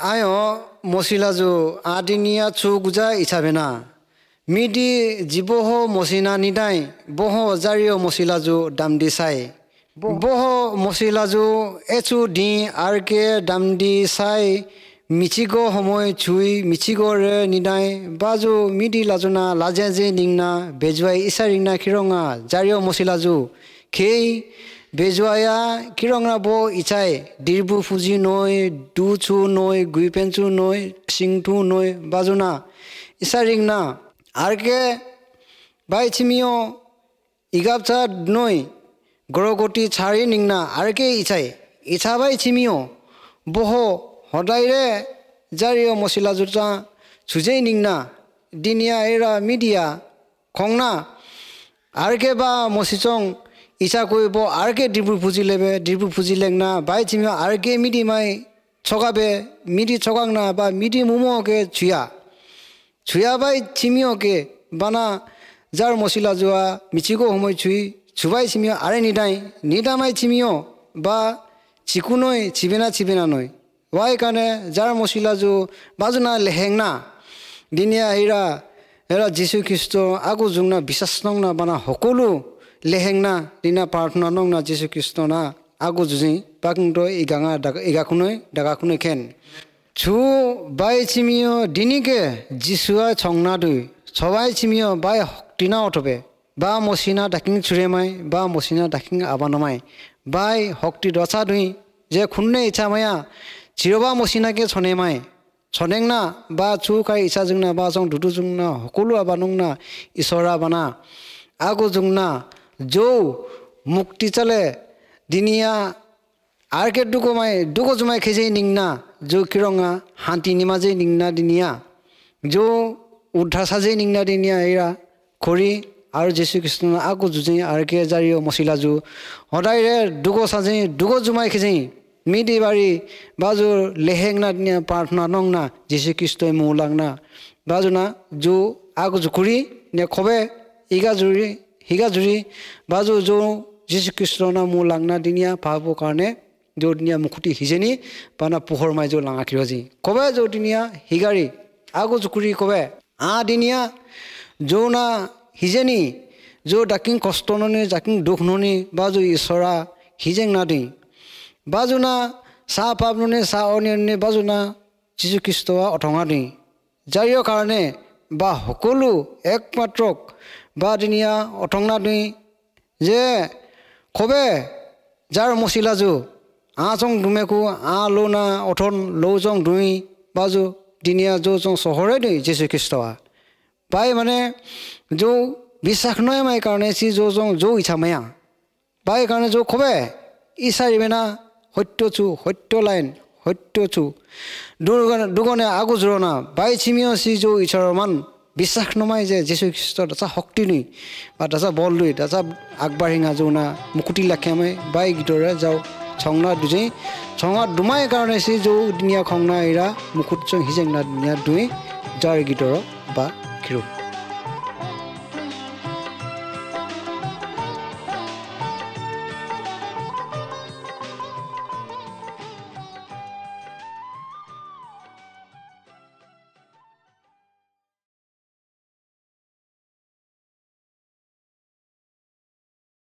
আয় মচিলাজু আদিনিয়া চু গুজা ইছাবেনা মিদি জীবহ মচিনা নিদাই বহ জাৰিও মচিলাজু দাম দি চাই বহ মচিলাজু এচু দি আৰকে দাম দি চাই মিচিগ সময় চুই মিচিগৰে নিদাই বাজু মিদি লাজুনা লাজে যে নিংনা বেজুৱাই ইচাৰিংনা খিৰঙা জাৰিও মচিলাজু খেই বেজুৱায়া কিৰঙা ব ইচাই দিৰবু ফুজি নৈ দুচু নৈ গুইপেঞ্চু নৈ সিংথু নৈ বাজুনা ইচাৰিংনা আৰকে বাইচিমিও ইগাপচা নৈ গৰগতি চাৰি নিংনা আৰকে ইচাই ইচাবাই চিমিও বহ সদায়ৰে জাৰিও মচিলা জোতা চুজেই নিংনা দিনিয়া এৰা মিডিয়া খংনা আৰকে বা মচিচং ইচ্ছা কৰিব আৰকে ডিব্ৰু ফুজি লেবে ডিব্ৰু ফুজি লেংনা বাই চিমিও আৰকে মিডি মাই ছগাবে মিডি ছগাংনা বা মিডি মুমকে ছুয়া ছুয়া বাই চিমিওকে বানা যাৰ মচিলা যোৱা মিচিগো সময় ছুই ছুবাই চিমিও আৰে নিদাই নিদামাই চিমিও বা চিকুনৈ চিবেনা চিবেনা নৈ ৱাই কাৰণে যাৰ মচিলা যো বাজুনা লেহেংনা দিনীয়া এৰা এৰা যীশু খ্ৰীষ্ট আগু জুংনা বিশ্বাস নংনা বানা সকলো লেহেংনা দিনা প্ৰাৰ্থনা নংনা যীশু খ্ৰীষ্ট না আগু যুঁজি বাকুংটো ইগাঙা ইগাখুনৈ দাগাখুনৈ খেন ছু বাই চিমিও দিনিকে যিশুৱা ছংনা দুই ছবাই চিমিও বাই শক্তিনা অথবে বা মচিনা ডাকিং চুৰেমাই বা মচিনা ডাকিং আবানমাই বাই শক্তি দচা দুই যে খুন্নে ইচ্ছা মায়া চিৰবা মচিনাকে ছনেমাই ছনেংনা বা চু খাই ইচ্ছা জুংনা বা জং দুদু জুংনা সকলো আবানুংনা ঈশ্বৰা বানা আগু জুংনা যৌ মুক্তি চালে দিনিয়া আৰকে দুগমাই দুগ জুমাই খেজেই নিংনা যৌ কিৰঙা শান্তি নিমাজেই নিংনা দিনিয়া যৌ উদ্ধাৰ সাজেই নিংনা দিনিয়া এৰা খৰি আৰু যীশু খ্ৰীষ্ট আগু যুঁজি আৰকে জাৰিও মচিলা জু সদায়ৰে দুগ সাজেই দুগ জুমাই খেজেই মিদি বাৰী বাজু লেহেংনা দিনিয়া প্ৰাৰ্থনা নংনা যীশু খ্ৰীষ্টই মৌলাংনা বাজুনা জু আগু জুকুৰি নে খবে ইগা জুৰি হিগা জুৰি বাজু যৌ যীশু খ্ৰীষ্ট না মৌ লাংনা দিনিয়া ভাব কাৰণে যৌ দিনিয়া মুখুটি সিজেনি বানা পোহৰ মাই যৌ লাঙা খিৰজি কবে যৌ দিনিয়া হিগাৰী আগু জুকুৰি কবে আ দিনিয়া যৌ না সিজেনি যৌ ডাকিং কষ্ট ননি জাকিং দুখ ননি বাজু ঈশ্বৰা সিজেং না দি বাজুনা চাহ পাপ ননি চাহ অনি বাজুনা যীশু খ্ৰীষ্ট অথঙা দি যাৰ কাৰণে বা সকলো একমাত্ৰক বা দিনিয়া অথংনা দি যে খবে যাৰ মচিলাজু আ চং দুমেকু আ লৌ না অথন লৌ জং দুই বাজু দিনিয়া যৌ জং চহৰে দুই যীশু খ্ৰীষ্ট বাই মানে যৌ বিশ্বাস নয় মাই কাৰণে চি যৌ জং যৌ ইচ্ছা মায়া বাই কাৰণে যৌ খবে ইচাৰিবেনা সত্য চু সত্য লাইন সত্য চু দুগণে আগু জোৰণা বাই চিমিও চি যৌ ঈশ্বৰৰ মান বিশ্বাস নমাই যে যীশু খ্ৰীষ্ট দাচা শক্তি নুই বা দাচা বল দুই দাচা আগবাঢ়ি যৌনা মুকুতি লাখিয়ামাই বাই গীতৰে যাওঁ ছংনা দুজেই ছঙা দুমাই কাৰণে চি যৌ দিনীয়া খংনা এৰা মুকুট চং হিজেংনা দিনীয়া দুই যাৰ গীতৰ বা খিৰু।